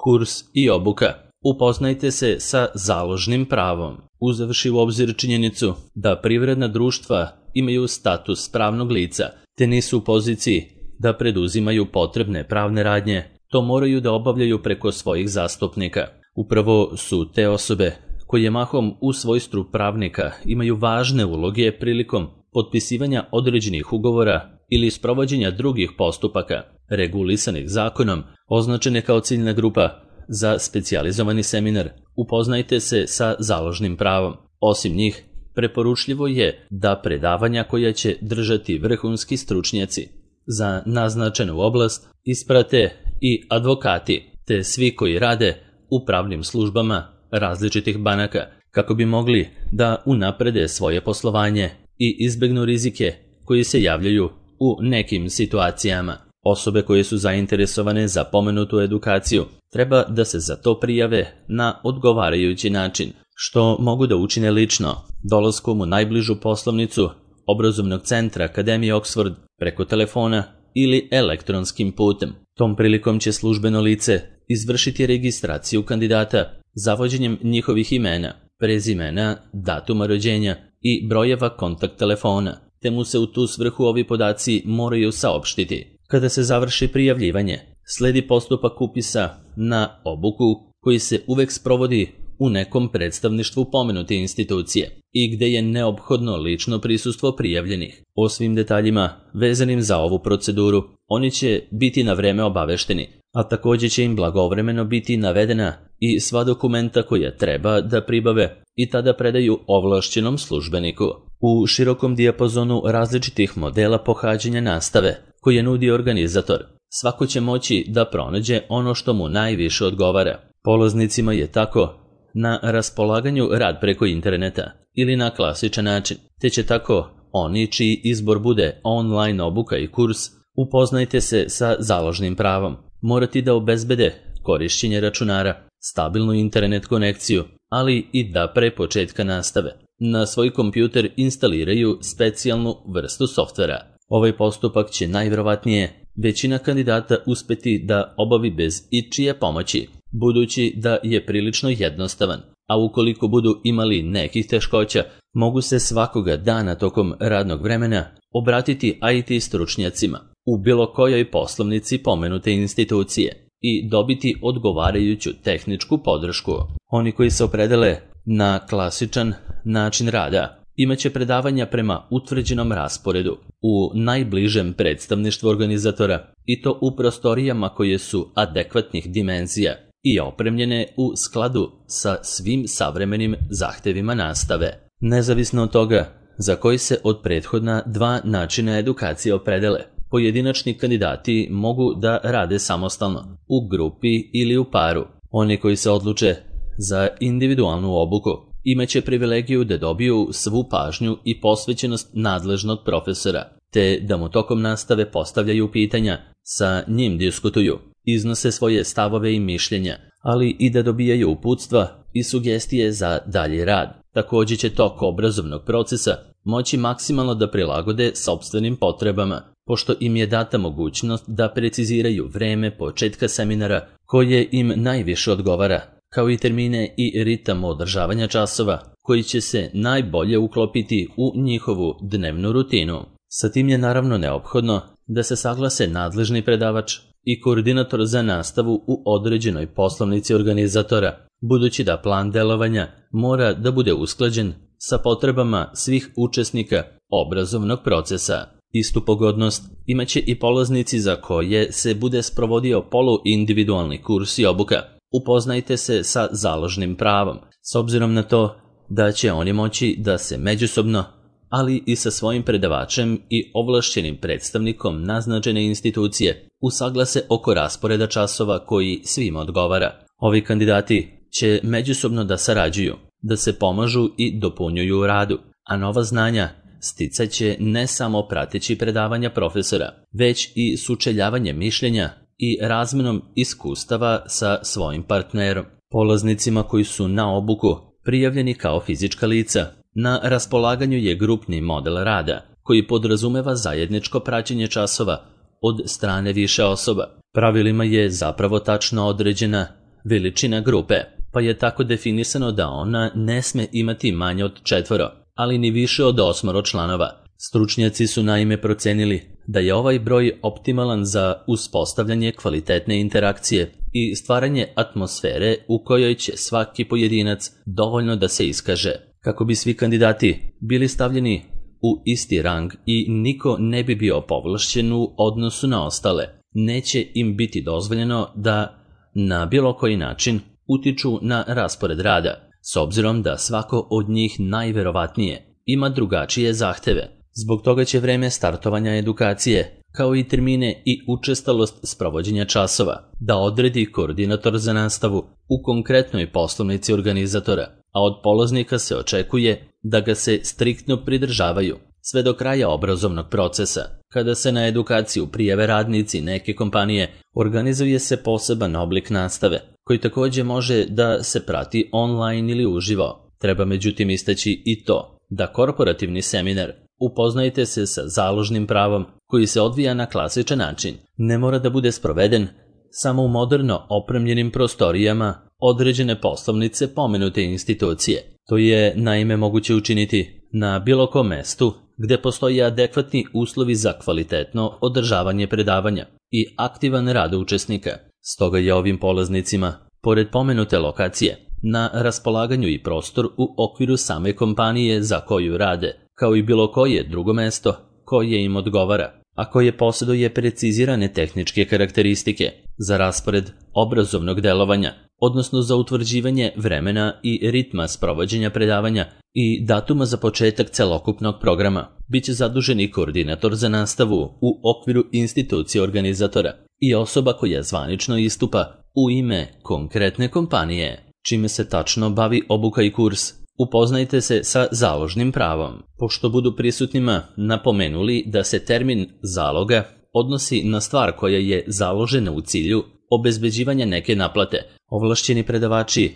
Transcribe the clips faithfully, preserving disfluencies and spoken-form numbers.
kurs i obuka. Upoznajte se sa založnim pravom, uzevši u obzir činjenicu da privredna društva imaju status pravnog lica, te nisu u poziciji da preduzimaju potrebne pravne radnje, to moraju da obavljaju preko svojih zastupnika. Upravo su te osobe koje mahom u svojstvu pravnika imaju važne uloge prilikom potpisivanja određenih ugovora ili sprovođenja drugih postupaka regulisanih zakonom, označene kao ciljna grupa za specijalizovani seminar. Upoznajte se sa založnim pravom. Osim njih, preporučljivo je da predavanja koja će držati vrhunski stručnjaci za naznačenu oblast isprate i advokati, te svi koji rade u pravnim službama različitih banaka, kako bi mogli da unaprede svoje poslovanje i izbegnu rizike koji se javljaju u nekim situacijama. Osobe koje su zainteresovane za pomenutu edukaciju treba da se za to prijave na odgovarajući način, što mogu da učine lično, dolaskom u najbližu poslovnicu obrazovnog centra Akademije Oxford, preko telefona ili elektronskim putem. Tom prilikom će službeno lice izvršiti registraciju kandidata zavođenjem njihovih imena, prezimena, datuma rođenja i brojeva kontakt telefona, te mu se u tu svrhu ovi podaci moraju saopštiti. Kada se završi prijavljivanje, sledi postupak upisa na obuku koji se uvek sprovodi u nekom predstavništvu pomenute institucije i gde je neophodno lično prisustvo prijavljenih. O svim detaljima vezanim za ovu proceduru oni će biti na vreme obavešteni, a također će im blagovremeno biti navedena i sva dokumenta koja treba da pribave i tada predaju ovlašćenom službeniku. U širokom dijapazonu različitih modela pohađanja nastave koje nudi organizator, svako će moći da pronađe ono što mu najviše odgovara. Polaznicima je tako na raspolaganju rad preko interneta ili na klasičan način, te će tako oni čiji izbor bude online obuka i kurs, upoznajte se sa založnim pravom, morati da obezbede korišćenje računara, stabilnu internet konekciju, ali i da pre početka nastave na svoj kompjuter instaliraju specijalnu vrstu softvera. Ovaj postupak će najvjerovatnije većina kandidata uspeti da obavi bez ičije pomoći, budući da je prilično jednostavan, a ukoliko budu imali nekih teškoća, mogu se svakoga dana tokom radnog vremena obratiti I T stručnjacima u bilo kojoj poslovnici pomenute institucije i dobiti odgovarajuću tehničku podršku. Oni koji se opredele na klasičan način rada imaće predavanja prema utvrđenom rasporedu u najbližem predstavništvu organizatora i to u prostorijama koje su adekvatnih dimenzija i opremljene u skladu sa svim savremenim zahtevima nastave. Nezavisno od toga za koji se od prethodna dva načina edukacije opredele, pojedinačni kandidati mogu da rade samostalno, u grupi ili u paru. Oni koji se odluče za individualnu obuku imaće privilegiju da dobiju svu pažnju i posvećenost nadležnog profesora, te da mu tokom nastave postavljaju pitanja, sa njim diskutuju, iznose svoje stavove i mišljenja, ali i da dobijaju uputstva i sugestije za dalji rad. Također će tok obrazovnog procesa moći maksimalno da prilagode sopstvenim potrebama, pošto im je data mogućnost da preciziraju vreme početka seminara koje im najviše odgovara, kao i termine i ritam održavanja časova koji će se najbolje uklopiti u njihovu dnevnu rutinu. Sa tim je naravno neophodno da se saglase nadležni predavač i koordinator za nastavu u određenoj poslovnici organizatora, budući da plan delovanja mora da bude usklađen sa potrebama svih učesnika obrazovnog procesa. Istu pogodnost imaće i polaznici za koje se bude sprovodio poluindividualni kurs i obuka. Upoznajte se sa založnim pravom, s obzirom na to da će oni moći da se međusobno, ali i sa svojim predavačem i ovlašćenim predstavnikom naznačene institucije usaglase oko rasporeda časova koji svima odgovara. Ovi kandidati će međusobno da sarađuju, da se pomažu i dopunjuju u radu, a nova znanja sticat će ne samo prateći predavanja profesora, već i sučeljavanje mišljenja i razmenom iskustava sa svojim partnerom. Polaznicima koji su na obuku prijavljeni kao fizička lica, na raspolaganju je grupni model rada koji podrazumeva zajedničko praćenje časova od strane više osoba. Pravilima je zapravo tačno određena veličina grupe, pa je tako definisano da ona ne sme imati manje od četvoro, ali ni više od osmoro članova. Stručnjaci su naime procenili da je ovaj broj optimalan za uspostavljanje kvalitetne interakcije i stvaranje atmosfere u kojoj će svaki pojedinac dovoljno da se iskaže. Kako bi svi kandidati bili stavljeni u isti rang i niko ne bi bio povlašćen u odnosu na ostale, neće im biti dozvoljeno da na bilo koji način utiču na raspored rada, s obzirom da svako od njih najverovatnije ima drugačije zahteve. Zbog toga će vreme startovanja edukacije, kao i termine i učestalost sprovođenja časova, da odredi koordinator za nastavu u konkretnoj poslovnici organizatora, a od polaznika se očekuje da ga se striktno pridržavaju sve do kraja obrazovnog procesa. Kada se na edukaciju prijave radnici neke kompanije, organizuje se poseban oblik nastave, koji također može da se prati online ili uživo. Treba međutim istaći i to da korporativni seminar Upoznajte se sa založnim pravom koji se odvija na klasičan način, ne mora da bude sproveden samo u moderno opremljenim prostorijama određene poslovnice pomenute institucije. To je naime moguće učiniti na bilo kom mestu gde postoje adekvatni uslovi za kvalitetno održavanje predavanja i aktivan rad učesnika. Stoga je ovim polaznicima, pored pomenute lokacije, na raspolaganju i prostor u okviru same kompanije za koju rade, kao i bilo koje drugo mesto koje im odgovara, a koje posjeduje precizirane tehničke karakteristike za raspored obrazovnog delovanja, odnosno za utvrđivanje vremena i ritma sprovođenja predavanja i datuma za početak celokupnog programa. Biće zadužen i koordinator za nastavu u okviru institucije organizatora i osoba koja zvanično istupa u ime konkretne kompanije. Čime se tačno bavi obuka i kurs? Upoznajte se sa založnim pravom. Pošto budu prisutnima napomenuli da se termin zaloga odnosi na stvar koja je založena u cilju obezbeđivanja neke naplate, ovlašćeni predavači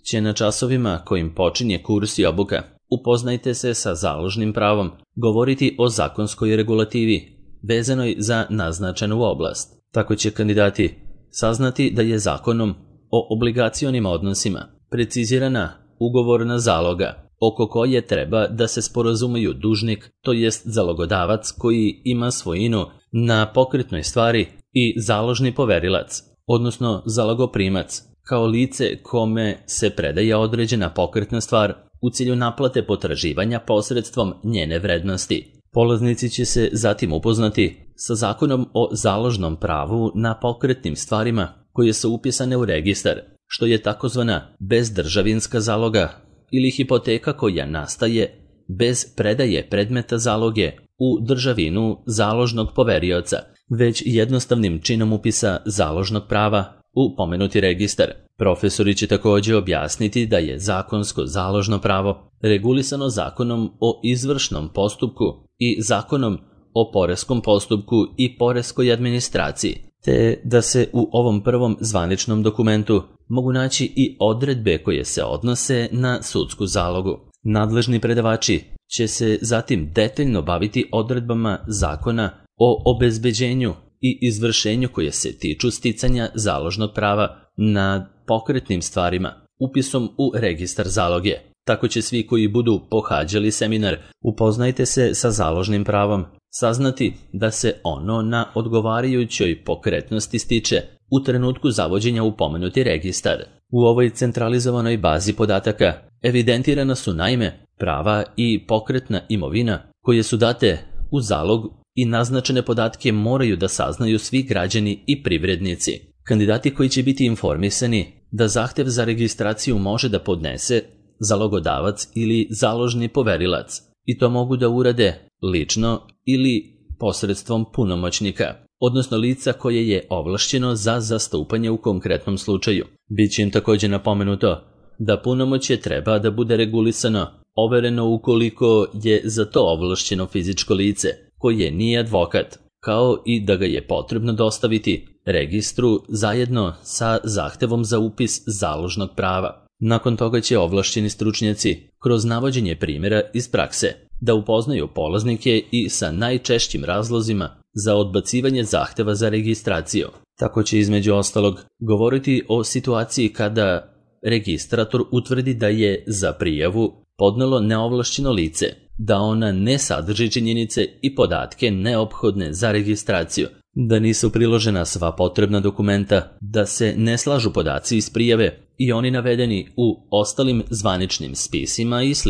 će na časovima kojim počinje kurs i obuka Upoznajte se sa založnim pravom govoriti o zakonskoj regulativi vezanoj za naznačenu oblast. Tako će kandidati saznati da je zakonom o obligacionim odnosima precizirana ugovorna zaloga, oko koje treba da se sporazumeju dužnik, to jest zalogodavac koji ima svojinu na pokretnoj stvari i založni poverilac, odnosno zalogoprimac, kao lice kome se predaje određena pokretna stvar u cilju naplate potraživanja posredstvom njene vrednosti. Polaznici će se zatim upoznati sa zakonom o založnom pravu na pokretnim stvarima koje su upisane u registar, što je takozvana bezdržavinska zaloga ili hipoteka koja nastaje bez predaje predmeta zaloge u državinu založnog poverioca, već jednostavnim činom upisa založnog prava u pomenuti registar. Profesori će također objasniti da je zakonsko založno pravo regulisano zakonom o izvršnom postupku i zakonom o poreskom postupku i poreskoj administraciji, te da se u ovom prvom zvaničnom dokumentu mogu naći i odredbe koje se odnose na sudsku zalogu. Nadležni predavači će se zatim detaljno baviti odredbama zakona o obezbeđenju i izvršenju koje se tiču sticanja založnog prava nad pokretnim stvarima, upisom u registar zaloge. Tako će svi koji budu pohađali seminar Upoznajte se sa založnim pravom saznati da se ono na odgovarajućoj pokretnosti stiče u trenutku zavođenja u pomenuti registar. U ovoj centralizovanoj bazi podataka evidentirana su naime prava i pokretna imovina koje su date u zalog i naznačene podatke moraju da saznaju svi građani i privrednici. Kandidati koji će biti informisani da zahtev za registraciju može da podnese zalogodavac ili založni poverilac i to mogu da urade lično ili posredstvom punomoćnika, odnosno lica koje je ovlašćeno za zastupanje u konkretnom slučaju. Biće im također napomenuto da punomoćje treba da bude regulisano, overeno ukoliko je za to ovlašćeno fizičko lice koje nije advokat, kao i da ga je potrebno dostaviti registru zajedno sa zahtevom za upis založnog prava. Nakon toga će ovlašćeni stručnjaci kroz navođenje primjera iz prakse da upoznaju polaznike i sa najčešćim razlozima za odbacivanje zahteva za registraciju, Tako će između ostalog govoriti o situaciji kada registrator utvrdi da je za prijavu podnelo neovlašćeno lice, da ona ne sadrži činjenice i podatke neophodne za registraciju, da nisu priložena sva potrebna dokumenta, da se ne slažu podaci iz prijave i oni navedeni u ostalim zvaničnim spisima i sl.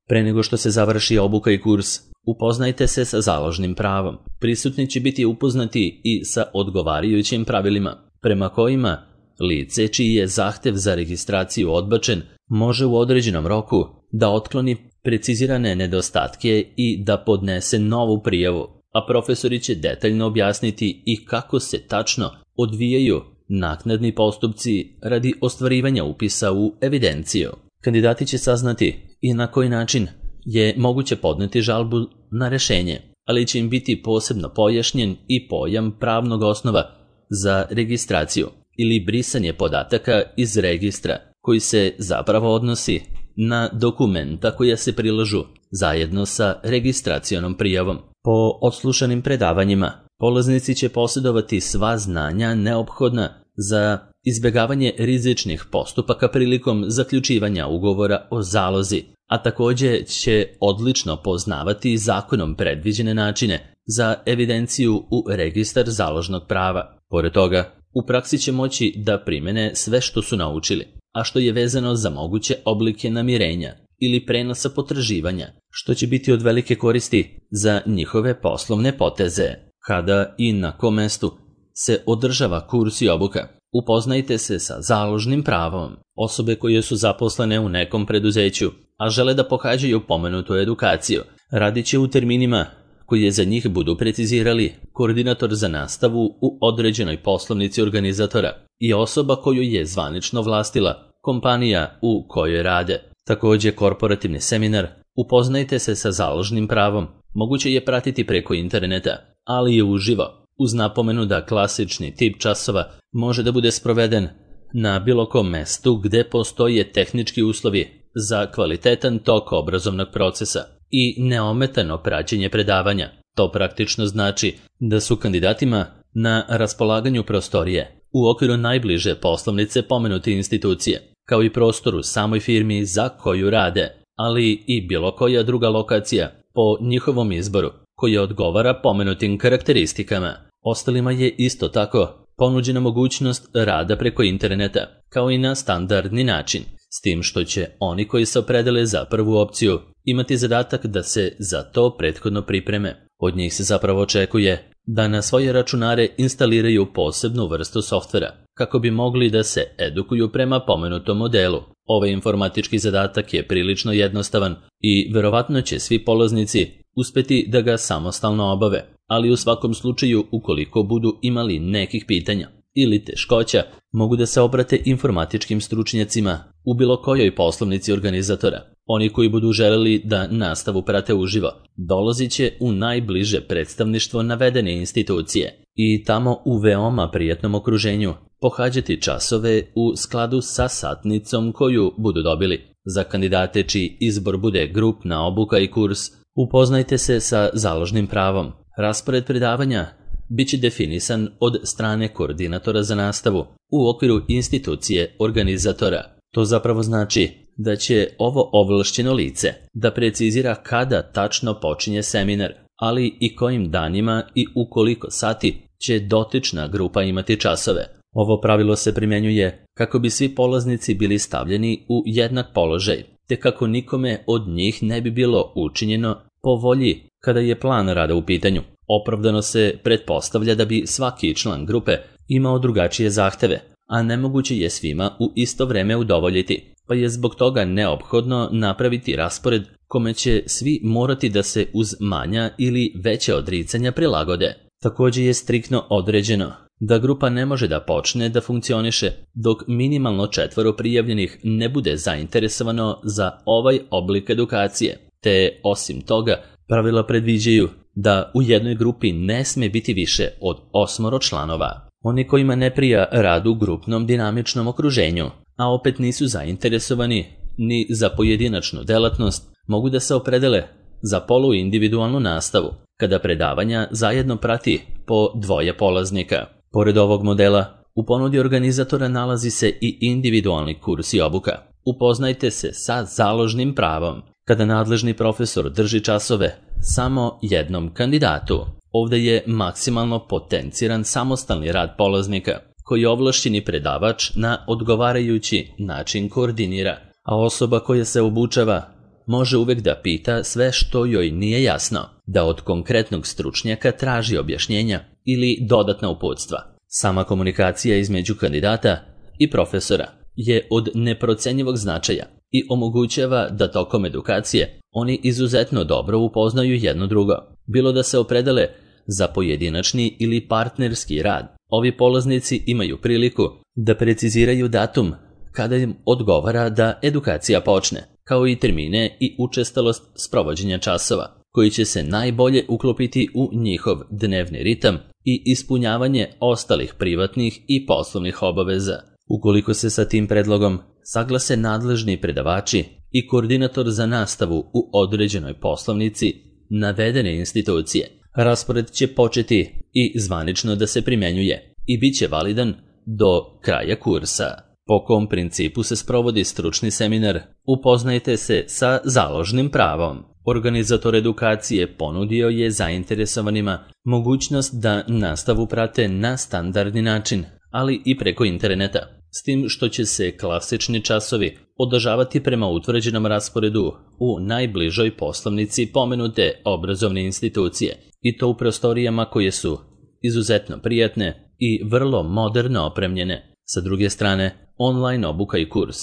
Pre nego što se završi obuka i kurs, upoznajte se sa založnim pravom. Prisutni će biti upoznati i sa odgovarajućim pravilima, prema kojima lice čiji je zahtev za registraciju odbačen može u određenom roku da otkloni precizirane nedostatke i da podnese novu prijavu, a profesori će detaljno objasniti i kako se tačno odvijaju naknadni postupci radi ostvarivanja upisa u evidenciju. Kandidati će saznati i na koji način je moguće podneti žalbu na rešenje, ali će im biti posebno pojašnjen i pojam pravnog osnova za registraciju ili brisanje podataka iz registra, koji se zapravo odnosi na dokumenta koja se prilažu zajedno sa registracionom prijavom. Po odslušanim predavanjima, polaznici će posjedovati sva znanja neophodna za izbjegavanje rizičnih postupaka prilikom zaključivanja ugovora o zalozi, a također će odlično poznavati zakonom predviđene načine za evidenciju u registar založnog prava. Pored toga, u praksi će moći da primene sve što su naučili, a što je vezano za moguće oblike namirenja ili prenosa potraživanja, što će biti od velike koristi za njihove poslovne poteze. Kada i na kom mestu se održava kurs i obuka, upoznajte se sa založnim pravom. Osobe koje su zaposlene u nekom preduzeću, a žele da pohađaju pomenutu edukaciju, radit će u terminima koje za njih budu precizirali koordinator za nastavu u određenoj poslovnici organizatora i osoba koju je zvanično vlastila kompanija u kojoj rade. Također, korporativni seminar upoznajte se sa založnim pravom moguće je pratiti preko interneta, ali i uživo, uz napomenu da klasični tip časova može da bude sproveden na bilo kom mestu gde postoje tehnički uslovi za kvalitetan tok obrazovnog procesa i neometano praćenje predavanja. To praktično znači da su kandidatima na raspolaganju prostorije u okviru najbliže poslovnice pomenute institucije, kao i prostor u samoj firmi za koju rade, ali i bilo koja druga lokacija po njihovom izboru koja odgovara pomenutim karakteristikama. Ostalima je isto tako ponuđena mogućnost rada preko interneta, kao i na standardni način, s tim što će oni koji se opredele za prvu opciju imati zadatak da se za to prethodno pripreme. Od njih se zapravo očekuje da na svoje računare instaliraju posebnu vrstu softvera, kako bi mogli da se edukuju prema pomenutom modelu. Ovaj informatički zadatak je prilično jednostavan i verovatno će svi polaznici uspeti da ga samostalno obave, ali u svakom slučaju ukoliko budu imali nekih pitanja ili teškoća, mogu da se obrate informatičkim stručnjacima u bilo kojoj poslovnici organizatora. Oni koji budu želeli da nastavu prate uživo, dolazit će u najbliže predstavništvo navedene institucije i tamo u veoma prijatnom okruženju pohađati časove u skladu sa satnicom koju budu dobili. Za kandidate čiji izbor bude grupna obuka i kurs, upoznajte se sa založnim pravom. Raspored predavanja biće definisan od strane koordinatora za nastavu u okviru institucije organizatora. To zapravo znači da će ovo ovlašćeno lice da precizira kada tačno počinje seminar, ali i kojim danima i u koliko sati će dotična grupa imati časove. Ovo pravilo se primjenjuje kako bi svi polaznici bili stavljeni u jednak položaj, te kako nikome od njih ne bi bilo učinjeno po volji kada je plan rada u pitanju. Opravdano se pretpostavlja da bi svaki član grupe imao drugačije zahteve, a nemoguće je svima u isto vreme udovoljiti, pa je zbog toga neophodno napraviti raspored kome će svi morati da se uz manja ili veće odricanja prilagode. Također je striktno određeno da grupa ne može da počne da funkcioniše dok minimalno četvoro prijavljenih ne bude zainteresovano za ovaj oblik edukacije, te osim toga pravila predviđaju da u jednoj grupi ne sme biti više od osmoro članova. Oni kojima ne prija rad u grupnom dinamičnom okruženju, a opet nisu zainteresovani ni za pojedinačnu delatnost, mogu da se opredele za poluindividualnu nastavu, kada predavanja zajedno prati po dvoje polaznika. Pored ovog modela, u ponudi organizatora nalazi se i individualni kurs i obuka. Upoznajte se sa založnim pravom. Kada nadležni profesor drži časove samo jednom kandidatu, ovdje je maksimalno potenciran samostalni rad polaznika, koji ovlašćeni predavač na odgovarajući način koordinira, a osoba koja se obučava može uvek da pita sve što joj nije jasno, da od konkretnog stručnjaka traži objašnjenja ili dodatna uputstva. Sama komunikacija između kandidata i profesora je od neprocenjivog značaja i omogućava da tokom edukacije oni izuzetno dobro upoznaju jedno drugo, bilo da se opredele za pojedinačni ili partnerski rad. Ovi polaznici imaju priliku da preciziraju datum kada im odgovara da edukacija počne, kao i termine i učestalost sprovođenja časova, koji će se najbolje uklopiti u njihov dnevni ritam i ispunjavanje ostalih privatnih i poslovnih obaveza. Ukoliko se sa tim predlogom saglase nadležni predavači i koordinator za nastavu u određenoj poslovnici navedene institucije, raspored će početi i zvanično da se primenjuje i bit će validan do kraja kursa. Po kom principu se sprovodi stručni seminar? Upoznajte se sa založnim pravom. Organizator edukacije ponudio je zainteresovanima mogućnost da nastavu prate na standardni način, ali i preko interneta, s tim što će se klasični časovi održavati prema utvrđenom rasporedu u najbližoj poslovnici pomenute obrazovne institucije, i to u prostorijama koje su izuzetno prijatne i vrlo moderno opremljene. Sa druge strane, online obuka i kurs.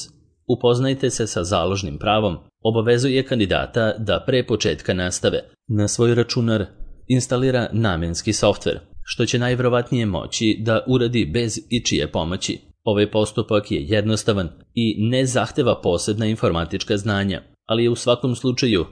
Upoznajte se sa založnim pravom obavezuje kandidata da pre početka nastave na svoj računar instalira namenski softver, što će najvjerovatnije moći da uradi bez ičije pomoći. Ovaj postupak je jednostavan i ne zahteva posebna informatička znanja, ali je u svakom slučaju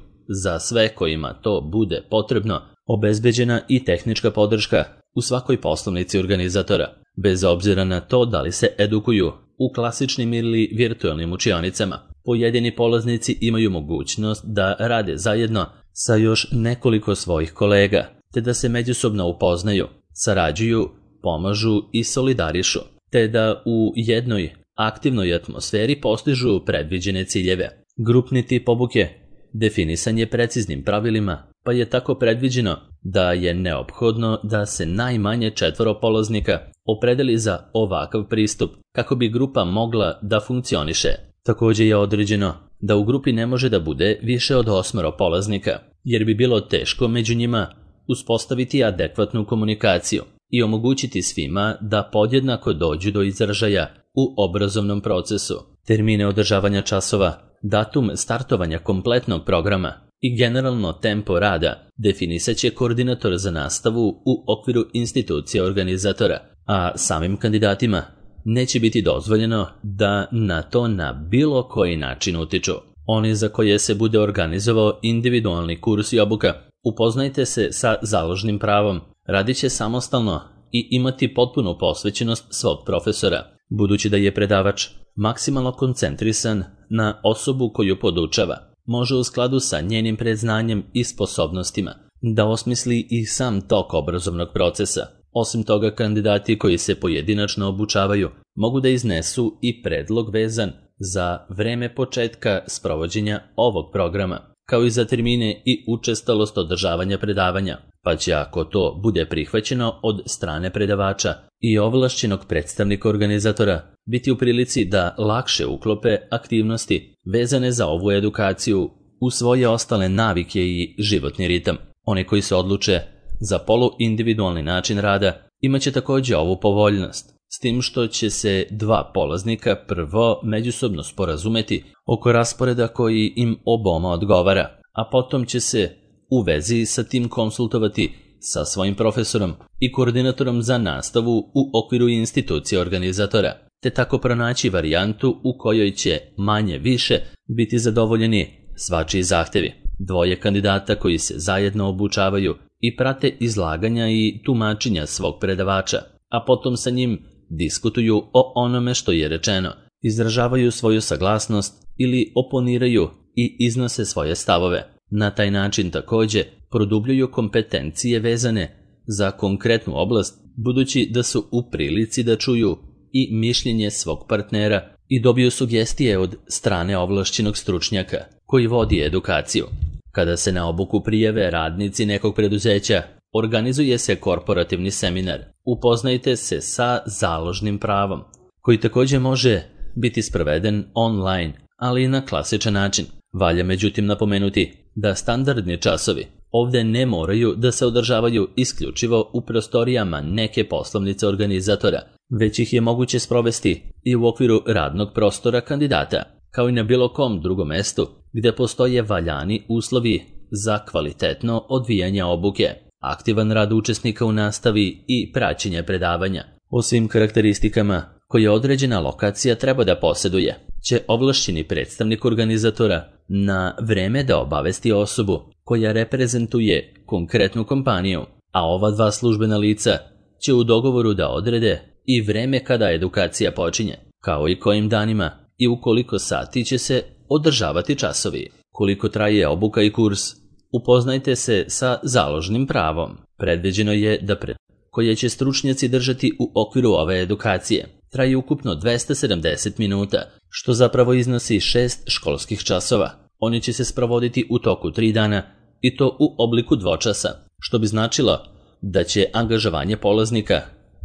za sve kojima to bude potrebno obezbeđena i tehnička podrška u svakoj poslovnici organizatora, bez obzira na to da li se edukuju u klasičnim ili virtualnim učionicama. Pojedini polaznici imaju mogućnost da rade zajedno sa još nekoliko svojih kolega, te da se međusobno upoznaju, sarađuju, pomažu i solidarišu, te da u jednoj aktivnoj atmosferi postižu predviđene ciljeve. Grupni tip obuke definisan je preciznim pravilima, pa je tako predviđeno da je neophodno da se najmanje četvoro polaznika opredeli za ovakav pristup kako bi grupa mogla da funkcioniše. Također je određeno da u grupi ne može da bude više od osmero polaznika, jer bi bilo teško među njima uspostaviti adekvatnu komunikaciju i omogućiti svima da podjednako dođu do izražaja u obrazovnom procesu. Termine održavanja časova, datum startovanja kompletnog programa i generalno tempo rada definisat će koordinator za nastavu u okviru institucije organizatora, a samim kandidatima neće biti dozvoljeno da na to na bilo koji način utiču. Oni za koje se bude organizovao individualni kurs i obuka, upoznajte se sa založnim pravom, radit će samostalno i imati potpunu posvećenost svog profesora, budući da je predavač maksimalno koncentrisan na osobu koju podučava. Može u skladu sa njenim predznanjem i sposobnostima da osmisli i sam tok obrazovnog procesa. Osim toga, kandidati koji se pojedinačno obučavaju mogu da iznesu i predlog vezan za vreme početka sprovođenja ovog programa, kao i za termine i učestalost održavanja predavanja, pa će, ako to bude prihvaćeno od strane predavača i ovlašćenog predstavnika organizatora, biti u prilici da lakše uklope aktivnosti vezane za ovu edukaciju u svoje ostale navike i životni ritam. Oni koji se odluče za poluindividualni način rada imaće također ovu povoljnost, s tim što će se dva polaznika prvo međusobno sporazumeti oko rasporeda koji im oboma odgovara, a potom će se u vezi sa tim konsultovati sa svojim profesorom i koordinatorom za nastavu u okviru institucije organizatora, te tako pronaći varijantu u kojoj će manje više biti zadovoljeni svačiji zahtevi. Dvoje kandidata koji se zajedno obučavaju i prate izlaganja i tumačenja svog predavača, a potom sa njim diskutuju o onome što je rečeno, izražavaju svoju saglasnost ili oponiraju i iznose svoje stavove. Na taj način također produbljuju kompetencije vezane za konkretnu oblast, budući da su u prilici da čuju i mišljenje svog partnera i dobiju sugestije od strane ovlašćenog stručnjaka koji vodi edukaciju. Kada se na obuku prijave radnici nekog preduzeća, organizuje se korporativni seminar. Upoznajte se sa založnim pravom, koji također može biti sproveden online, ali i na klasičan način. Valja međutim napomenuti da standardni časovi ovdje ne moraju da se održavaju isključivo u prostorijama neke poslovnice organizatora, već ih je moguće sprovesti i u okviru radnog prostora kandidata, kao i na bilo kom drugom mestu gdje postoje valjani uslovi za kvalitetno odvijanje obuke, aktivan rad učesnika u nastavi i praćenje predavanja. O svim karakteristikama koje određena lokacija treba da posjeduje, će ovlašćeni predstavnik organizatora na vreme da obavesti osobu koja reprezentuje konkretnu kompaniju, a ova dva službena lica će u dogovoru da odrede i vreme kada edukacija počinje, kao i kojim danima i u koliko sati će se održavati časovi. Koliko traje obuka i kurs, upoznajte se sa založnim pravom. Predviđeno je da pre koje će stručnjaci držati u okviru ove edukacije traje ukupno dvesta sedamdeset minuta, što zapravo iznosi šest školskih časova. Oni će se sprovoditi u toku tri dana i to u obliku dvočasa, što bi značilo da će angažovanje polaznika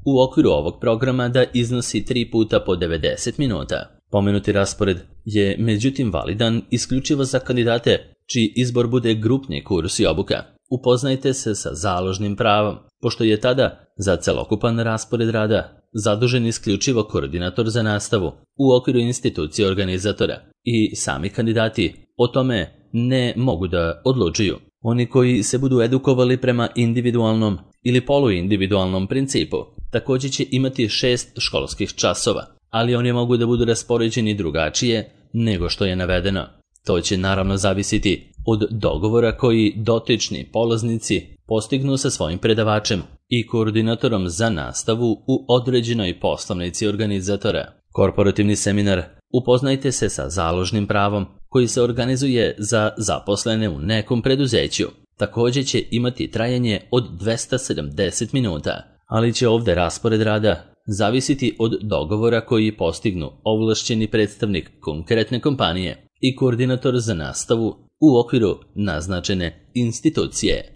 u okviru ovog programa da iznosi tri puta po devedeset minuta. Pomenuti raspored je međutim validan isključivo za kandidate čiji izbor bude grupni kurs i obuka. Upoznajte se sa založnim pravom, pošto je tada za celokupan raspored rada zadužen isključivo koordinator za nastavu u okviru institucije organizatora i sami kandidati o tome ne mogu da odlučuju. Oni koji se budu edukovali prema individualnom ili poluindividualnom principu također će imati šest školskih časova, ali oni mogu da budu raspoređeni drugačije nego što je navedeno. To će naravno zavisiti od dogovora koji dotični polaznici postignu sa svojim predavačem i koordinatorom za nastavu u određenoj poslovnici organizatora. Korporativni seminar Upoznajte se sa založnim pravom koji se organizuje za zaposlene u nekom preduzeću. Također će imati trajanje od dvesta sedamdeset minuta, ali će ovdje raspored rada zavisiti od dogovora koji postignu ovlašćeni predstavnik konkretne kompanije i koordinator za nastavu u okviru naznačene institucije.